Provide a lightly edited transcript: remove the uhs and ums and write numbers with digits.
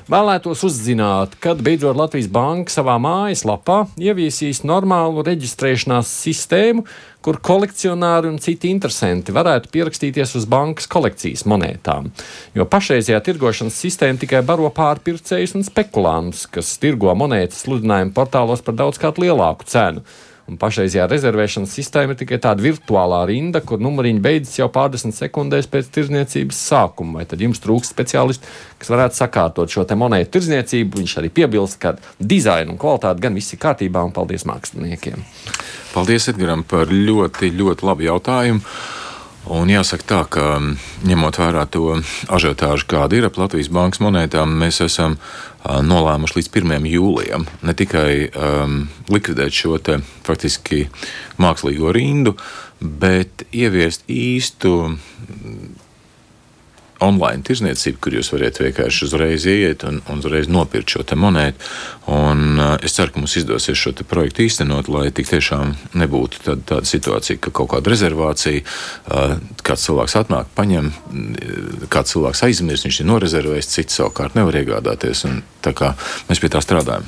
Vēlētos uzzināt, kad beidzot Latvijas Banka savā mājaslapā ieviesīs normālu reģistrēšanās sistēmu, kur kolekcionāri un citi interesanti varētu pierakstīties uz bankas kolekcijas monētām. Jo pašreizējā tirgošanas sistēma tikai baro pārpircējus un spekulantus, kas tirgo monētas sludinājumu portālos par daudz kādu lielāku cenu. Un pašreizējā rezervēšanas sistēma ir tikai tāda virtuālā rinda, kur numuriņi beidzas jau pārdesmit sekundēs pēc tirdzniecības sākuma. Vai tad jums trūkst speciālisti, kas varētu sakārtot šo te monētu tirdzniecību? Viņš arī piebilst, ka dizaina un kvalitāte gan viss ir kārtībā, un paldies māksliniekiem. Paldies Edgaram par ļoti, ļoti labu jautājumu. Un jāsaka tā, ka ņemot vērā to ažiotāžu, kāda ir ap Latvijas Bankas monētām, mēs esam nolēmuši līdz 1. jūlijam ne tikai likvidēt šo te faktiski mākslīgo rindu, bet ieviest īstu online tirzniecību, kur jūs variet vienkārši uzreiz ieiet un uzreiz nopirkt šo te monētu. Un es ceru, ka mums izdosies šo te projektu īstenot, lai tik tiešām nebūtu tāda situācija, ka kaut kāda rezervācija, kāds cilvēks atnāk, paņem, kāds cilvēks aizmirst, viņš ir norezervējis, cits savukārt nevar iegādāties. Un tā kā mēs pie tā strādājam.